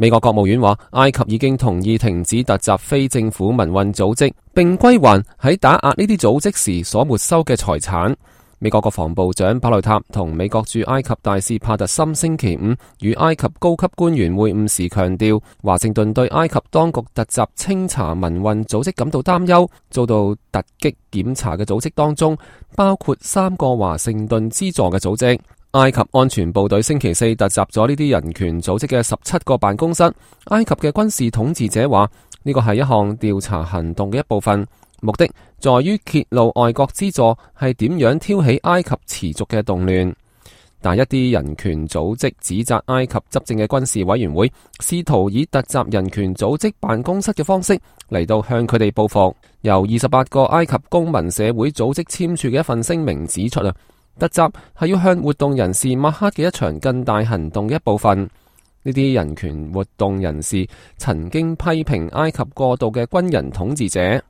美國國務院話，埃及已經同意停止突襲非政府民運組織，並歸還喺打壓呢啲組織時所沒收嘅財產。美國國防部長巴雷塔同美國駐埃及大使帕特森星期五與埃及高級官員會晤時強調，華盛頓對埃及當局突襲清查民運組織感到擔憂。遭到突擊檢查嘅組織當中，包括3個華盛頓資助嘅組織。埃及安全部隊星期四突襲咗呢啲人權組織嘅17個辦公室。埃及嘅軍事統治者話，呢個係一項調查行動嘅一部分，目的在於揭露外國資助係點樣挑起埃及持續嘅動亂。但一啲人權組織指責埃及執政嘅軍事委員會試圖以突襲人權組織辦公室嘅方式嚟到向佢哋報復。由28個埃及公民社會組織簽署嘅一份聲明指出突襲係要向活動人士抹黑嘅一場更大行動嘅一部分。呢啲人權活動人士曾經批評埃及過度嘅軍人統治者。